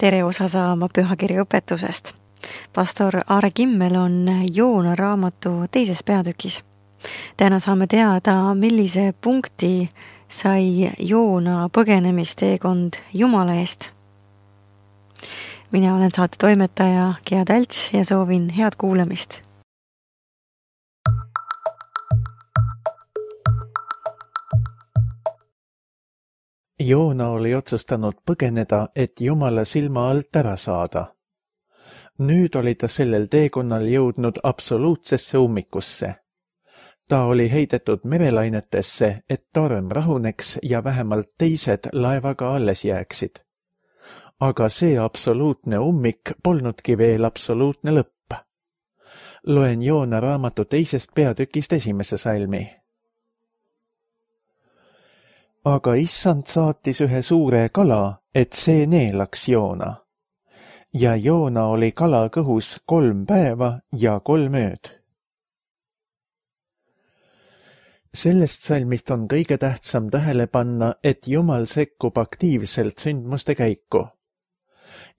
Tere osa saama pühakirja õpetusest. Pastor Aare Kimmel on Joona raamatu teises peatükis. Täna saame teada, millise punkti sai Joona põgenemisteekond Jumala eest. Mina olen saate toimetaja Gea Talts ja soovin head kuulamist. Joona oli otsustanud põgeneda, et Jumala silma alt ära saada. Nüüd oli ta sellel teekonnal jõudnud absoluutsesse ummikusse. Ta oli heidetud merelainetesse, et torm rahuneks ja vähemalt teised laevaga alles jääksid. Aga see absoluutne ummik polnudki veel absoluutne lõpp. Loen Joona raamatu teisest peatükist 1. salmi. Aga issand saatis ühe suure kala, et see neelaks Joona. Ja Joona oli kala kõhus 3 päeva ja 3 ööd. Sellest salmist on kõige tähtsam tähele panna, et Jumal sekkub aktiivselt sündmuste käiku.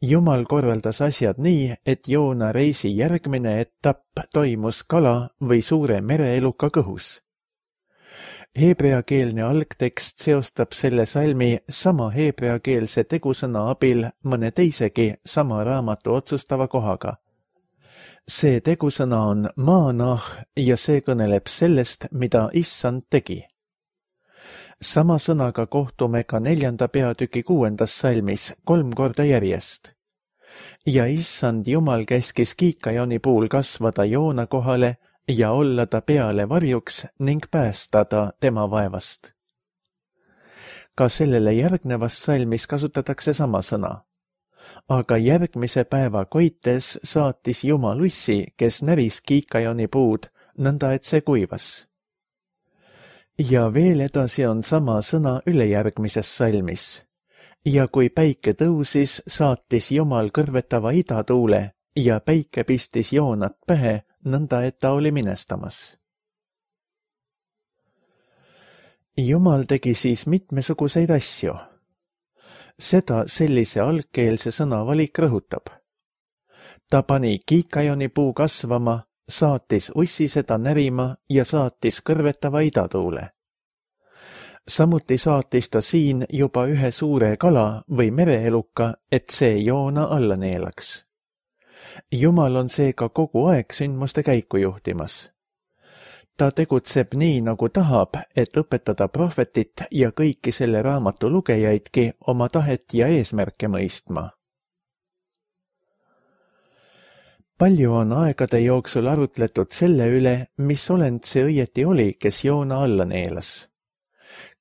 Jumal korraldas asjad nii, et Joona reisi järgmine etapp toimus kala või suure mereeluka kõhus. Heebreakeelne algtekst seostab selle salmi sama heebreakeelse tegusõna abil mõne teisegi sama raamatu otsustava kohaga. See tegusõna on maanah ja see kõneleb sellest, mida issand tegi. Sama sõnaga kohtume ka 4. peatüki 6. salmis 3 korda järjest. Ja issand Jumal käskis kiikajoni puul kasvada Joona kohale ja olla ta peale varjuks ning päästa ta tema vaevast. Ka sellele järgnevas salmis kasutatakse sama sõna. Aga järgmise päeva koites saatis Jumal ussi, kes näris kiikajoni puud, nõnda et see kuivas. Ja veel edasi on sama sõna ülejärgmises salmis. Ja kui päike tõusis, saatis Jumal kõrvetava idatuule ja päike pistis Joonat pähe, nõnda et ta oli minestamas. Jumal tegi siis mitmesuguseid asju. Seda sellise algkeelse sõnavalik rõhutab. Ta pani kiikajoni puu kasvama, saatis ussi seda närima ja saatis kõrvetava idatuule. Samuti saatis ta siin juba ühe suure kala või mereeluka, et see Joona alla neelaks. Jumal on seega kogu aeg sündmuste käiku juhtimas. Ta tegutseb nii, nagu tahab, et õpetada prohvetit ja kõiki selle raamatu lugejaidki oma tahet ja eesmärke mõistma. Palju on aegade jooksul arutletud selle üle, mis olend see õieti oli, kes Joona alla neelas.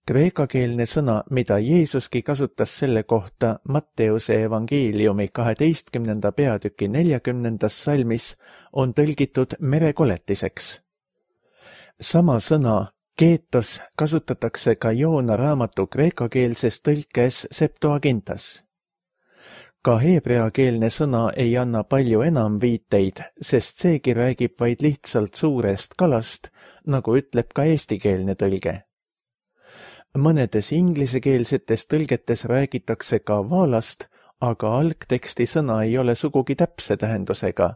Kreekakeelne sõna, mida Jeesuski kasutas selle kohta Matteuse evangeeliumi 12. peatüki 40. salmis, on tõlgitud merekoletiseks. Sama sõna keetos kasutatakse ka Joona raamatu kreekakeelses tõlkes Septuagintas. Ka heebreakeelne sõna ei anna palju enam viiteid, sest seegi räägib vaid lihtsalt suurest kalast, nagu ütleb ka eestikeelne tõlge. Mõnedes inglisekeelsetes tõlgetes räägitakse ka vaalast, aga algteksti sõna ei ole sugugi täpse tähendusega,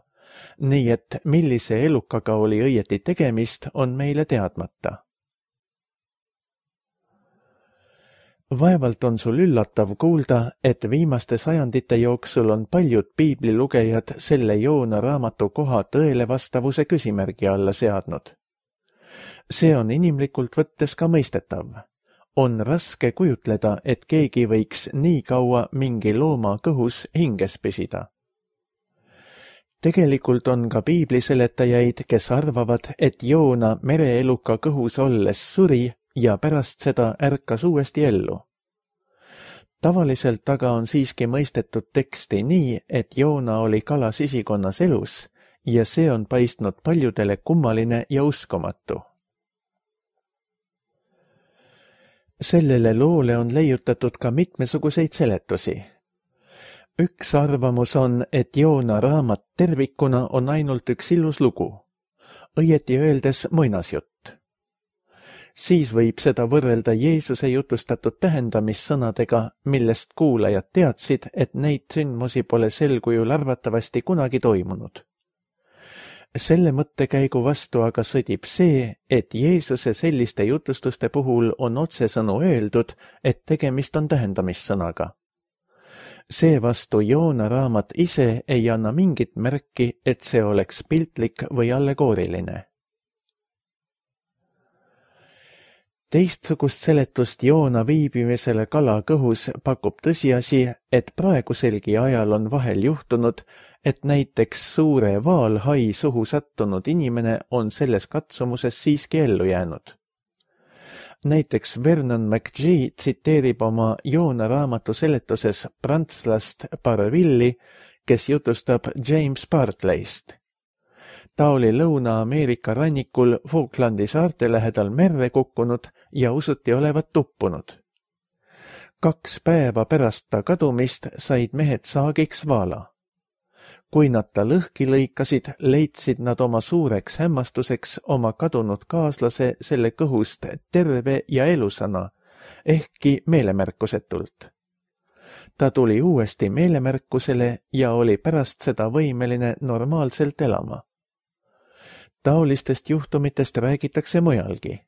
nii et millise elukaga oli õieti tegemist, on meile teadmata. Vaevalt on sul üllatav kuulda, et viimaste sajandite jooksul on paljud piiblilugejad selle Joona raamatu koha tõele vastavuse küsimärgi alla seadnud. See on inimlikult võttes ka mõistetav. On raske kujutleda, et keegi võiks nii kaua mingi looma kõhus hinges püsida. Tegelikult on ka piibliseletajaid, kes arvavad, et Joona mereeluka kõhus olles suri ja pärast seda ärkas uuesti ellu. Tavaliselt aga on siiski mõistetud teksti nii, et Joona oli kala sisikonnas elus ja see on paistnud paljudele kummaline ja uskumatu. Sellele loole on leiutatud ka mitmesuguseid seletusi. Üks arvamus on, et Joona raamat tervikuna on ainult üks ilus lugu, õieti öeldes muinasjutt. siis võib seda võrrelda Jeesuse jutustatud tähendamissõnadega, millest kuulajad teadsid, et neid sündmusi pole sel kujul arvatavasti kunagi toimunud. Selle mõttekäigu vastu aga sõdib see, et Jeesuse selliste jutustuste puhul on otsesõnu öeldud, et tegemist on tähendamissõnaga. Seevastu Joona raamat ise ei anna mingit märki, et see oleks piltlik või allegooriline. Teistsugust seletust Joona viibimisele kala kõhus pakub tõsiasi, et praeguselgi ajal on vahel juhtunud, et näiteks suure vaalhai suhu sattunud inimene on selles katsumuses siiski ellu jäänud. Näiteks Vernon McGee tsiteerib oma Joona raamatu seletuses prantslast Barvilli, kes jutustab James Bartleyst. Ta oli Lõuna-Ameerika rannikul Falklandi saarte lähedal merre kukkunud ja usuti olevat tuppunud. 2 päeva pärast ta kadumist said mehed saagiks vaala. Kui nad ta lõhki lõikasid, leidsid nad oma suureks hämmastuseks oma kadunud kaaslase selle kõhust terve ja elusana, ehkki meelemärkusetult. Ta tuli uuesti meelemärkusele ja oli pärast seda võimeline normaalselt elama. Taolistest juhtumitest räägitakse mujalgi.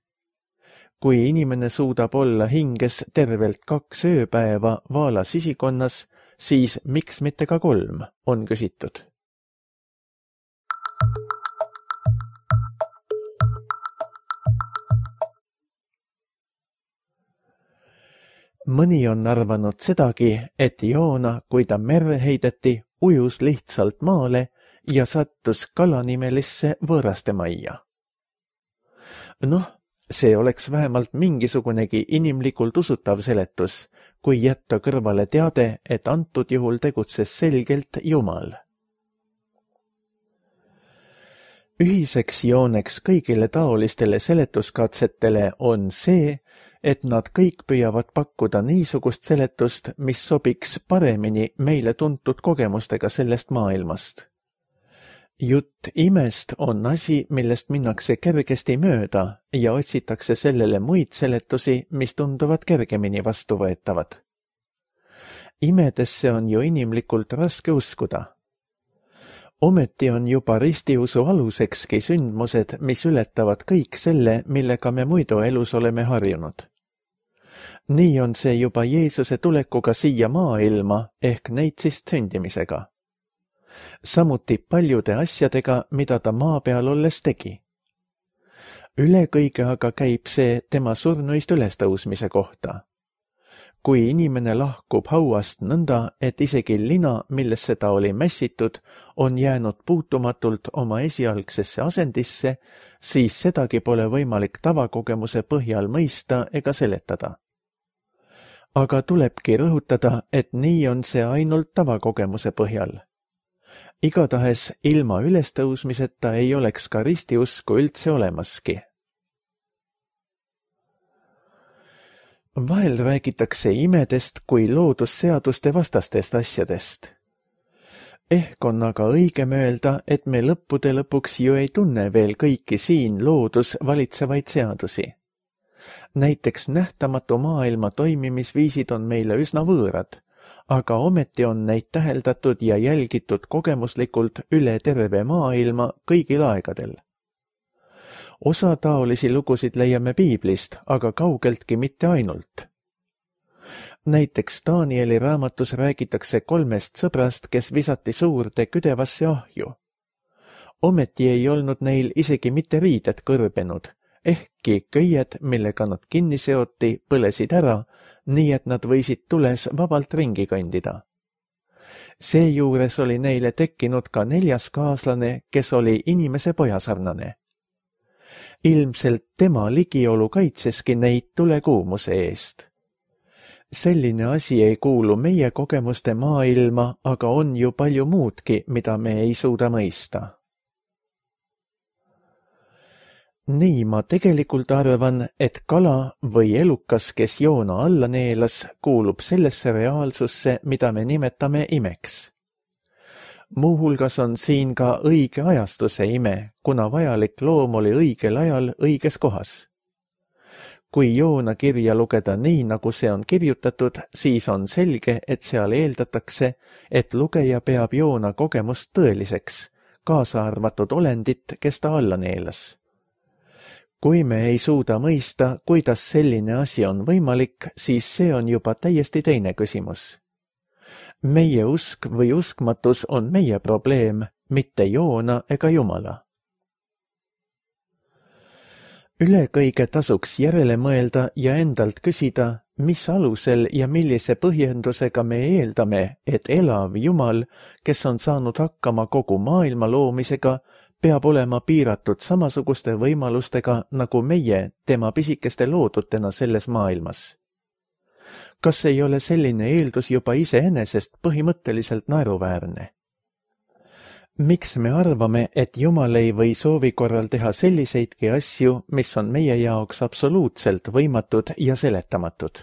Kui inimene suudab olla hinges tervelt 2 ööpäeva vaala sisikonnas, siis miks mitte ka 3, on küsitud. Mõni on arvanud sedagi, et Joona, kui ta merre heideti, ujus lihtsalt maale ja sattus kalanimelisse võõraste majja. See oleks vähemalt mingisugunegi inimlikult usutav seletus, kui jätta kõrvale teade, et antud juhul tegutses selgelt Jumal. Ühiseks jooneks kõigile taolistele seletuskatsetele on see, et nad kõik püüavad pakkuda niisugust seletust, mis sobiks paremini meile tuntud kogemustega sellest maailmast. Jutt imest on asi, millest minnakse kergesti mööda ja otsitakse sellele muid seletusi, mis tunduvad kergemini vastuvõetavad. Imedesse on ju inimlikult raske uskuda. Ometi on juba ristiusu alusekski sündmused, mis ületavad kõik selle, millega me muidu elus oleme harjunud. Nii on see juba Jeesuse tulekuga siia maailma ehk neitsist sündimisega. Samuti paljude asjadega, mida ta maa peal olles tegi. Üle kõige aga käib see tema surnuist ülestõusmise kohta. Kui inimene lahkub hauast nõnda, et isegi lina, millesse ta oli mässitud, on jäänud puutumatult oma esialgsesse asendisse, siis sedagi pole võimalik tavakogemuse põhjal mõista ega seletada. Aga tulebki rõhutada, et nii on see ainult tavakogemuse põhjal. Igatahes ilma ülestõusmiseta ei oleks ka ristiusku üldse olemaski. Vahel räägitakse imedest kui loodusseaduste vastastest asjadest. Ehk on aga õigem öelda, et me lõppude lõpuks ju ei tunne veel kõiki siin loodus valitsevaid seadusi. Näiteks nähtamatu maailma toimimisviisid on meile üsna võõrad, aga ometi on neid täheldatud ja jälgitud kogemuslikult üle terve maailma kõigil aegadel. Osa taolisi lugusid leiame piiblist, aga kaugeltki mitte ainult. Näiteks Danieli raamatus räägitakse 3 sõbrast, kes visati suurde küdevasse ahju. Ometi ei olnud neil isegi mitte riided kõrbenud, ehkki köied, millega nad kinni seoti, põlesid ära, nii et nad võisid tules vabalt ringi kõndida. Seejuures oli neile tekkinud ka 4. kaaslane, kes oli inimese pojasarnane. Ilmselt tema ligiolu kaitseski neid tulekuumuse eest. Selline asi ei kuulu meie kogemuste maailma, aga on ju palju muudki, mida me ei suuda mõista. Nii ma tegelikult arvan, et kala või elukas, kes joona alla neelas, kuulub sellesse reaalsusse, mida me nimetame imeks. Muuhulgas on siin ka õige ajastuse ime, kuna vajalik loom oli õigel ajal õiges kohas. Kui Joona kirja lugeda nii, nagu see on kirjutatud, siis on selge, et seal eeldatakse, et lugeja peab Joona kogemust tõeliseks, kaasa arvatud olendit, kes ta alla neelas. Kui me ei suuda mõista, kuidas selline asi on võimalik, siis see on juba täiesti teine küsimus. Meie usk või uskmatus on meie probleem, mitte Joona ega Jumala. Üle kõige tasuks järele mõelda ja endalt küsida, mis alusel ja millise põhjendusega me eeldame, et elav Jumal, kes on saanud hakkama kogu maailma loomisega, peab olema piiratud samasuguste võimalustega nagu meie tema pisikeste loodutena selles maailmas. Kas ei ole selline eeldus juba iseenesest põhimõtteliselt naeruväärne? Miks me arvame, et Jumal ei või soovi korral teha selliseidki asju, mis on meie jaoks absoluutselt võimatud ja seletamatud?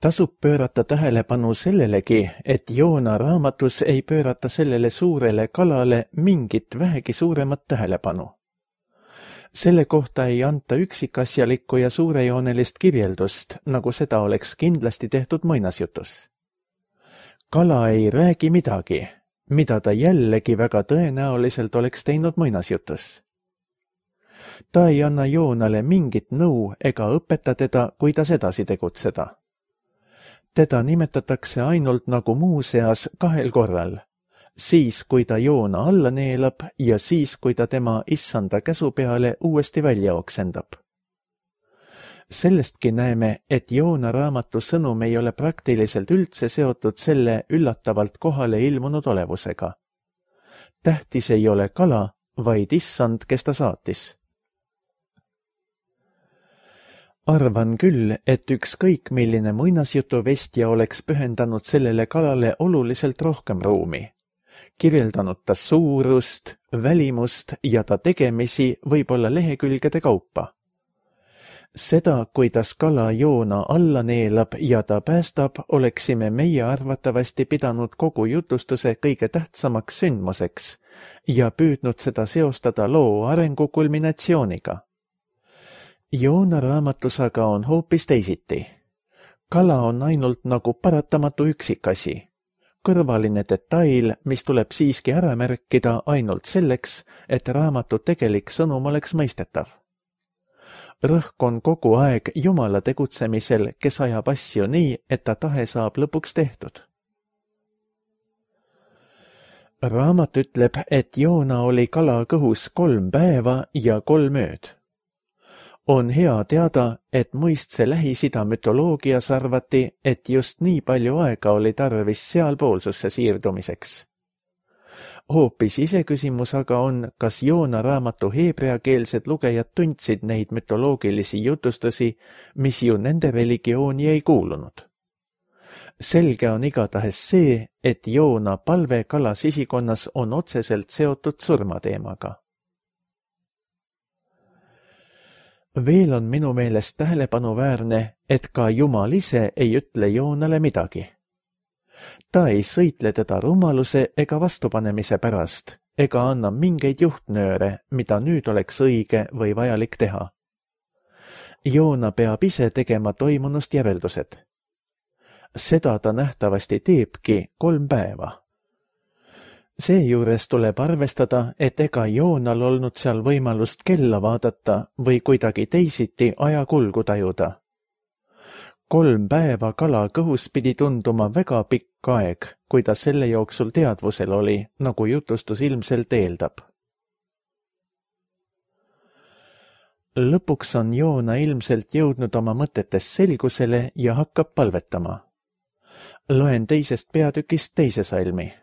Tasub pöörata tähelepanu sellelegi, et Joona raamatus ei pöörata sellele suurele kalale mingit vähegi suuremat tähelepanu. Selle kohta ei anta üksikasjalikku ja suurejoonelist kirjeldust, nagu seda oleks kindlasti tehtud muinasjutus. Kala ei räägi midagi, mida ta jällegi väga tõenäoliselt oleks teinud muinasjutus. Ta ei anna Joonale mingit nõu ega õpeta teda, kuidas edasi tegutseda. Teda nimetatakse ainult nagu muuseas 2 korral, siis kui ta Joona alla neelab ja siis kui ta tema issanda käsu peale uuesti välja oksendab. Sellestki näeme, et Joona raamatu sõnum ei ole praktiliselt üldse seotud selle üllatavalt kohale ilmunud olevusega. Tähtis ei ole kala, vaid issand, kes ta saatis. Arvan küll, et ükskõik milline muinasjutuvestja oleks pühendanud sellele kalale oluliselt rohkem ruumi. Kirjeldanud ta suurust, välimust ja ta tegemisi võib-olla lehekülgede kaupa. Seda, kuidas kala Joona alla neelab ja ta päästab, oleksime meie arvatavasti pidanud kogu jutustuse kõige tähtsamaks sündmuseks ja püüdnud seda seostada loo arengu kulminatsiooniga. Joona raamatus aga on hoopis teisiti. Kala on ainult nagu paratamatu üksikasi. Kõrvaline detail, mis tuleb siiski ära märkida ainult selleks, et raamatu tegelik sõnum oleks mõistetav. Rõhk on kogu aeg Jumala tegutsemisel, kes ajab asju nii, et ta tahe saab lõpuks tehtud. Raamat ütleb, et Joona oli kala kõhus 3 päeva ja 3 ööd. On hea teada, et muistse Lähis-Ida mütoloogias arvati, et just nii palju aega oli tarvis sealpoolsusse siirdumiseks. Hoopis iseküsimus aga on, kas Joona raamatu heebreakeelsed lugejad tundsid neid mütoloogilisi jutustusi, mis ju nende religiooni ei kuulunud. Selge on igatahes see, et Joona palve kala sisikonnas on otseselt seotud surmateemaga. Veel on minu meelest tähelepanuväärne, et ka Jumal ise ei ütle Joonale midagi. Ta ei sõitle teda rumaluse ega vastupanemise pärast, ega anna mingeid juhtnööre, mida nüüd oleks õige või vajalik teha. Joona peab ise tegema toimunust järeldused. Seda ta nähtavasti teebki 3 päeva. Seejuures tuleb arvestada, et ega Joonal olnud seal võimalust kella vaadata või kuidagi teisiti ajakulgu tajuda. 3 päeva kala kõhus pidi tunduma väga pikk aeg, kui ta selle jooksul teadvusel oli, nagu jutustus ilmselt eeldab. Lõpuks on Joona ilmselt jõudnud oma mõtetes selgusele ja hakkab palvetama. Loen 2. peatükist 2. salmi.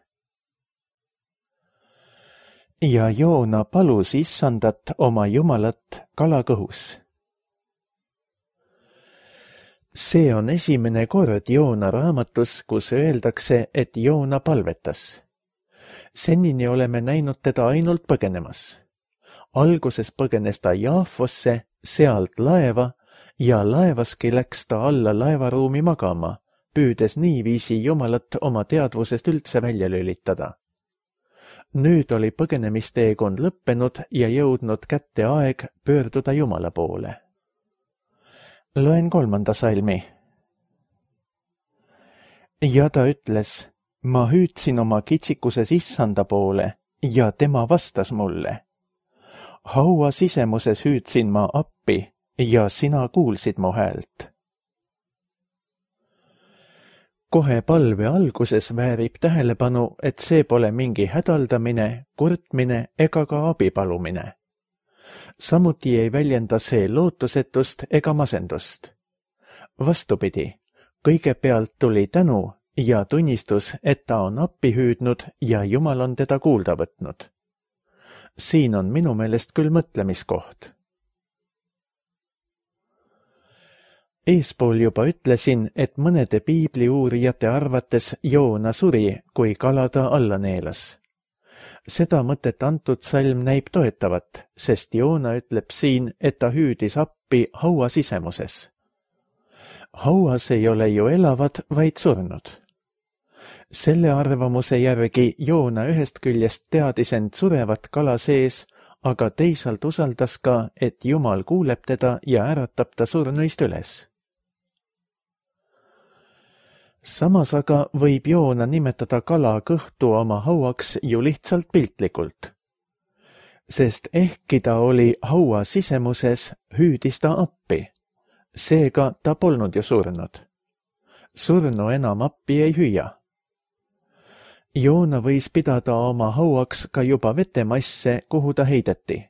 Ja Joona palus issandat oma Jumalat kala kõhus. See on esimene kord Joona raamatus, kus öeldakse, et Joona palvetas. Senini oleme näinud teda ainult põgenemas. Alguses põgenes ta Jaafosse, sealt laeva ja laevaski läks ta alla laevaruumi magama, püüdes niiviisi Jumalat oma teadvusest üldse välja lülitada. Nüüd oli põgenemisteekond lõppenud ja jõudnud kätte aeg pöörduda Jumala poole. Loen 3. salmi. Ja ta ütles, ma hüüdsin oma kitsikuses issanda poole ja tema vastas mulle. Haua sisemuses hüüdsin ma appi ja sina kuulsid mu häält. Kohe palve alguses väärib tähelepanu, et see pole mingi hädaldamine, kurtmine ega ka abipalumine. Samuti ei väljenda see lootusetust ega masendust. Vastupidi, kõigepealt tuli tänu ja tunnistus, et ta on appi hüüdnud ja Jumal on teda kuulda võtnud. Siin on minu meelest küll mõtlemiskoht. Eespool juba ütlesin, et mõnede piibliuurijate arvates Joona suri, kui kala ta alla neelas. Seda mõtet antud salm näib toetavat, sest Joona ütleb siin, et ta hüüdis appi haua sisemuses. Hauas ei ole ju elavad, vaid surnud. Selle arvamuse järgi Joona ühest küljest teadis end surevat kala sees, aga teisalt usaldas ka, et Jumal kuuleb teda ja äratab ta surnuist üles. Samas aga võib Joona nimetada kala kõhtu oma hauaks ju lihtsalt piltlikult. Sest ehkki ta oli haua sisemuses, hüüdis ta appi. Seega ta polnud ju surnud. Surnu enam appi ei hüüa. Joona võis pidada oma hauaks ka juba vetemasse, kuhu ta heideti.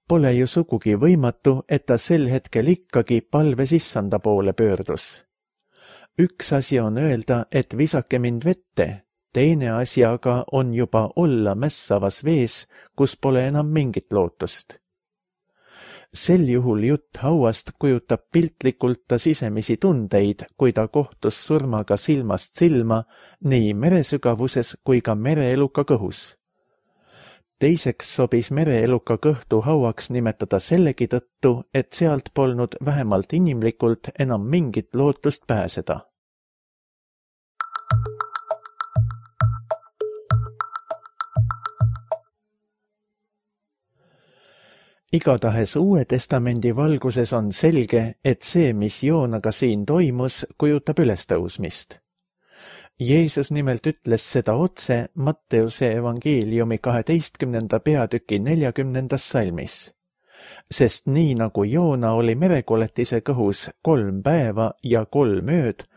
Pole ju sugugi võimatu, et ta sel hetkel ikkagi palves issanda poole pöördus. Üks asi on öelda, et visake mind vette, teine asi aga on juba olla mässavas vees, kus pole enam mingit lootust. Sel juhul jutt hauast kujutab piltlikult ta sisemisi tundeid, kui ta kohtus surmaga silmast silma nii meresügavuses kui ka mereeluka kõhus. Teiseks sobis mereeluka kõhtu hauaks nimetada sellegi tõttu, et sealt polnud vähemalt inimlikult enam mingit lootust pääseda. Igatahes Uue Testamendi valguses on selge, et see, mis Joonaga siin toimus, kujutab ülestõusmist. Jeesus nimelt ütles seda otse Matteuse evangeeliumi 12. peatüki 40. salmis. Sest nii nagu Joona oli merekoletise kõhus 3 päeva ja 3 ööd,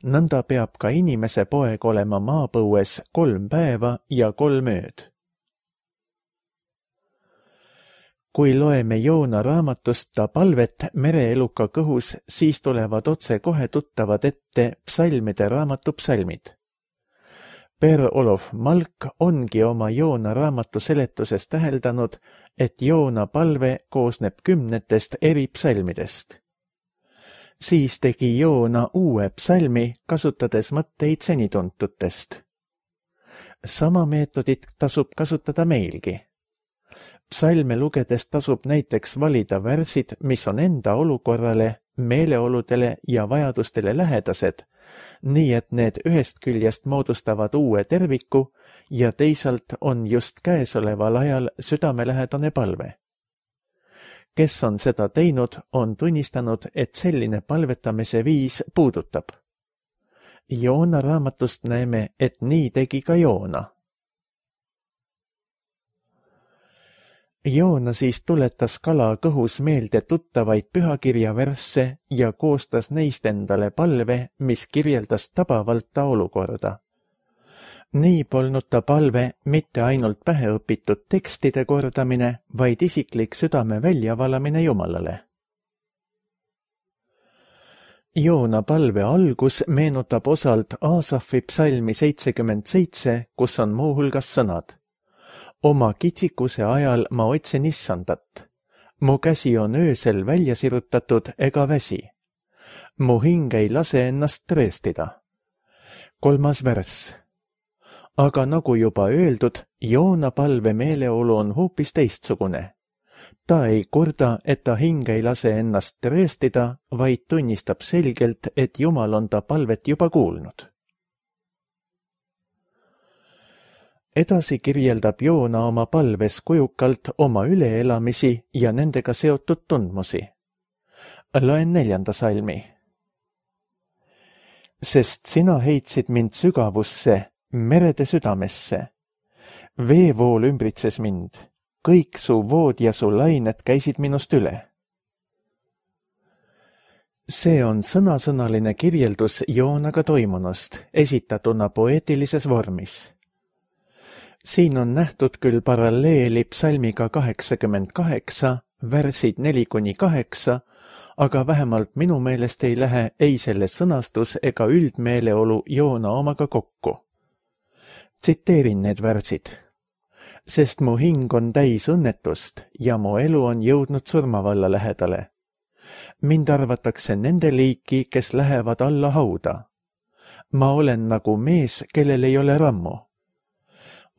nõnda peab ka inimese poeg olema maapõues 3 päeva ja 3 ööd. Kui loeme Joona raamatust ta palvet mereeluka kõhus, siis tulevad otse kohe tuttavad ette psalmide raamatu psalmid. Per-Olof Malk ongi oma Joona raamatu seletuses täheldanud, et Joona palve koosneb 10 eri psalmidest. Siis tegi Joona uue psalmi, kasutades mõtteid senituntutest. Sama meetodit tasub kasutada meilgi. Psalme lugedes tasub näiteks valida värsid, mis on enda olukorrale, meeleoludele ja vajadustele lähedased, nii et need ühest küljest moodustavad uue terviku ja teisalt on just käesoleval ajal südamelähedane palve. Kes on seda teinud, on tunnistanud, et selline palvetamise viis puudutab. Joona raamatust näeme, et nii tegi ka Joona. Joona siis tuletas kala kõhus meelde tuttavaid pühakirja versse ja koostas neist endale palve, mis kirjeldas tabavalt ta olukorda. Nii polnud ta palve mitte ainult päheõpitud tekstide kordamine, vaid isiklik südame väljavalamine Jumalale. Joona palve algus meenutab osalt Aasafi psalmi 77, kus on muuhulgas sõnad. Oma kitsikuse ajal ma otsin issandat. Mu käsi on öösel välja sirutatud ega väsi. Mu hing ei lase ennast tõestida. 3. värss. Aga nagu juba öeldud, Joona palve meeleolu on hoopis teistsugune. Ta ei kurda, et ta hing ei lase ennast rööstida, vaid tunnistab selgelt, et Jumal on ta palvet juba kuulnud. Edasi kirjeldab Joona oma palves kujukalt oma üleelamisi ja nendega seotud tundmusi. Loen 4. salmi. Sest sina heitsid mind sügavusse, merede südamesse. Veevool ümbritses mind, kõik su vood ja su lained käisid minust üle. See on sõnasõnaline kirjeldus Joonaga toimunust, esitatuna poeetilises vormis. Siin on nähtud küll paralleeli psalmiga 88, värsid 4-8, aga vähemalt minu meelest ei lähe ei selle sõnastus ega üldmeeleolu Joona omaga kokku. Tsiteerin need värsid. Sest mu hing on täis õnnetust ja mu elu on jõudnud surmavalla lähedale. Mind arvatakse nende liiki, kes lähevad alla hauda. Ma olen nagu mees, kellel ei ole rammu.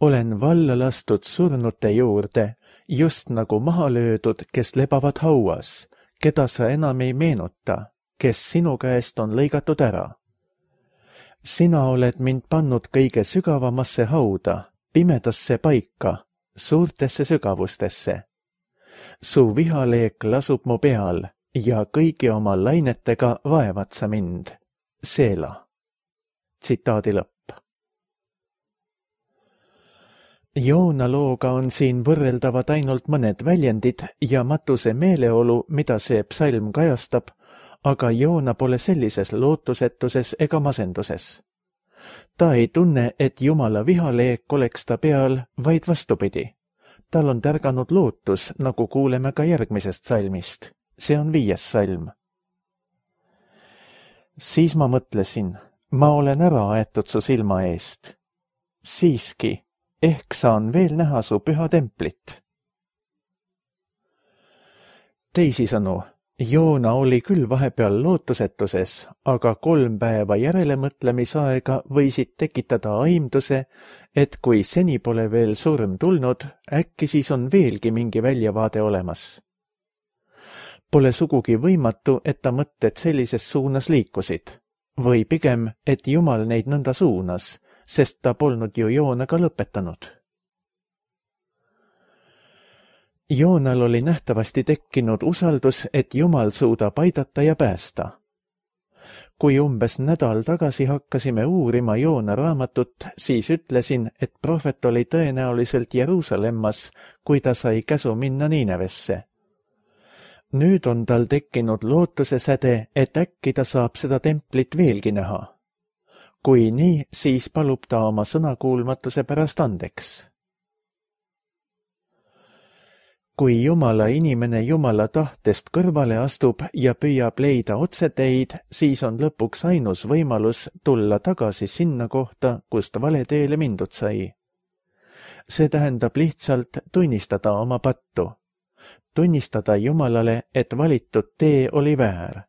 Olen valla lastud surnute juurde, just nagu maha löödud, kes lebavad hauas, keda sa enam ei meenuta, kes sinu käest on lõigatud ära. Sina oled mind pannud kõige sügavamasse hauda, pimedasse paika, suurtesse sügavustesse. Su vihaleek lasub mu peal ja kõigi oma lainetega vaevad sa mind. Seela. Tsitaadi lõpp. Joona looga on siin võrreldavad ainult mõned väljendid ja matuse meeleolu, mida see psalm kajastab, aga Joona pole sellises lootusetuses ega masenduses. Ta ei tunne, et Jumala vihaleek oleks ta peal, vaid vastupidi. Tal on tärganud lootus, nagu kuuleme ka järgmisest salmist. See on 5. salm. Siis ma mõtlesin, ma olen ära aetud su silma eest. Siiski, ehk saan veel näha su püha templit. Teisisõnu, Joona oli küll vahepeal lootusetuses, aga 3 päeva järelemõtlemisaega võisid tekitada aimduse, et kui seni pole veel surm tulnud, äkki siis on veelgi mingi väljavaade olemas. Pole sugugi võimatu, et ta mõtted sellises suunas liikusid, või pigem, et Jumal neid nõnda suunas, sest ta polnud ju Joonaga lõpetanud. Joonal oli nähtavasti tekkinud usaldus, et Jumal suudab aidata ja päästa. Kui umbes nädal tagasi hakkasime uurima Joona raamatut, siis ütlesin, et prohvet oli tõenäoliselt Jeruusalemmas, kui ta sai käsu minna Niinevesse. Nüüd on tal tekkinud lootuse säde, et äkki ta saab seda templit veelgi näha. Kui nii, siis palub ta oma sõnakuulmatuse pärast andeks. Kui Jumala inimene Jumala tahtest kõrvale astub ja püüab leida otseteid, siis on lõpuks ainus võimalus tulla tagasi sinna kohta, kust vale teele mindud sai. See tähendab lihtsalt tunnistada oma pattu. Tunnistada Jumalale, et valitud tee oli väär.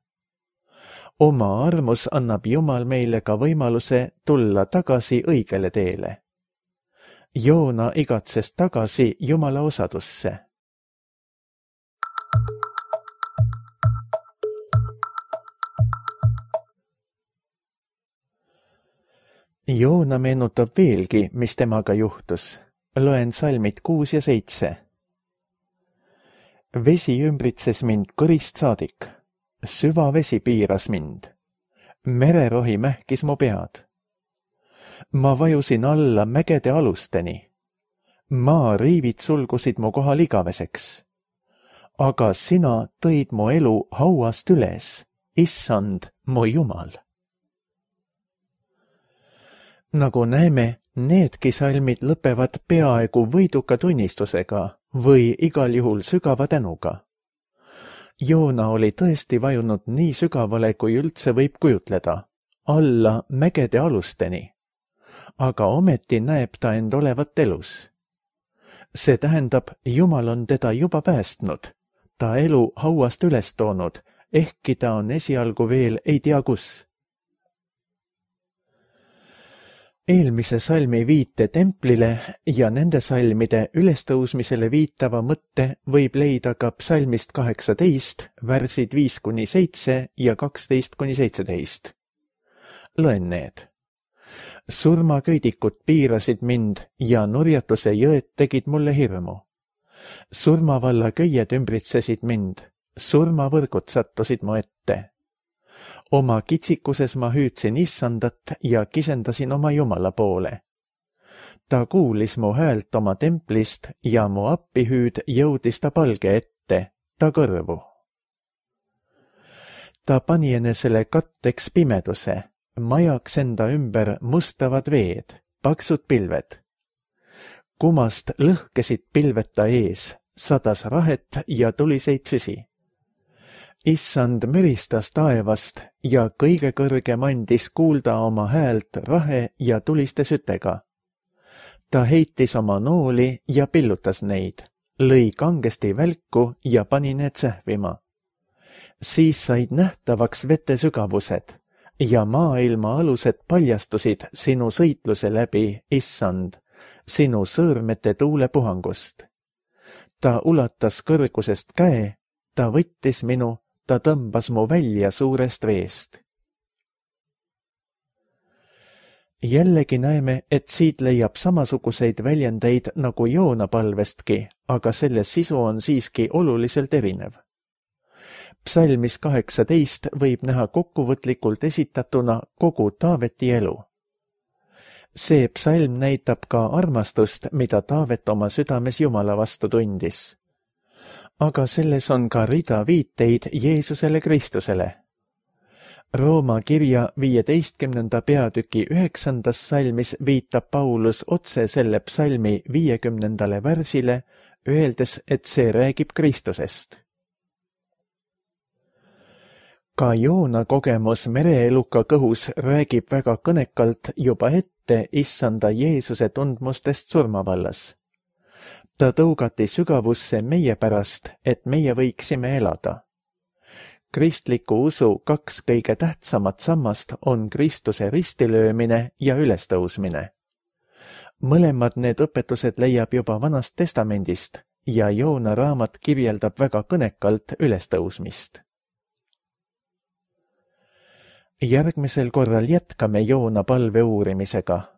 Oma armus annab Jumal meile ka võimaluse tulla tagasi õigele teele. Joona igatses tagasi Jumala osadusse. Joona meenutab veelgi, mis temaga juhtus. Loen salmid 6 ja 7. Vesi ümbritses mind kõrist saadik. Süva vesi piiras mind. Mererohi mähkis mu pead. Ma vajusin alla mägede alusteni. Maa riivid sulgusid mu kohal igaveseks. Aga sina tõid mu elu hauast üles, issand, mu Jumal. Nagu näeme, needki salmid lõpevad peaaegu võiduka tunnistusega või igal juhul sügava tänuga. Joona oli tõesti vajunud nii sügavale, kui üldse võib kujutleda, alla mägede alusteni. Aga ometi näeb ta end olevat elus. See tähendab, Jumal on teda juba päästnud, ta elu hauast üles toonud, ehkki ta on esialgu veel ei tea kus. Eelmise salmi viite templile ja nende salmide ülestõusmisele viitava mõtte võib leida ka psalmist 18, värsid 5-7 ja 12-17. Loen need. Surmaköidikud piirasid mind ja nurjatuse jõed tegid mulle hirmu. Surmavalla köied ümbritsesid mind, surmavõrgud sattusid mu ette. Oma kitsikuses ma hüüdsin Issandat ja kisendasin oma Jumala poole. Ta kuulis mu häält oma templist ja mu appihüüd jõudis ta palge ette, ta kõrvu. Ta pani enesele katteks pimeduse, majaks enda ümber mustavad veed, paksud pilved. Kumast lõhkesid pilved ta ees, sadas rahet ja tuliseid süsi. Issand müristas taevast ja kõige kõrgem andis kuulda oma häält rahe ja tuliste sütega. Ta heitis oma nooli ja pillutas neid, lõi kangesti välku ja pani need sähvima. Siis said nähtavaks vete sügavused ja maailma alused paljastusid sinu sõitluse läbi, Issand, sinu sõõrmete tuulepuhangust. Ta ulatas kõrgusest käe, ta võttis minu, ta tõmbas mu välja suurest veest. Jällegi näeme, et siit leiab samasuguseid väljendeid nagu Joona palvestki, aga selle sisu on siiski oluliselt erinev. Psalmis 18 võib näha kokkuvõtlikult esitatuna kogu Taaveti elu. See psalm näitab ka armastust, mida Taavet oma südames Jumala vastu tundis. Aga selles on ka rida viiteid Jeesusele Kristusele. Rooma kirja 15. peatüki 9. salmis viitab Paulus otse selle psalmi 50. värsile, öeldes, et see räägib Kristusest. Ka Joona kogemus mereeluka kõhus räägib väga kõnekalt juba ette Issanda Jeesuse tundmustest surmavallas. Ta tõugati sügavusse meie pärast, et meie võiksime elada. Kristliku usu kaks kõige tähtsamat sammast on Kristuse ristilöömine ja ülestõusmine. Mõlemad need õpetused leiab juba Vanast Testamendist ja Joona raamat kirjeldab väga kõnekalt ülestõusmist. Järgmisel korral jätkame Joona palve uurimisega.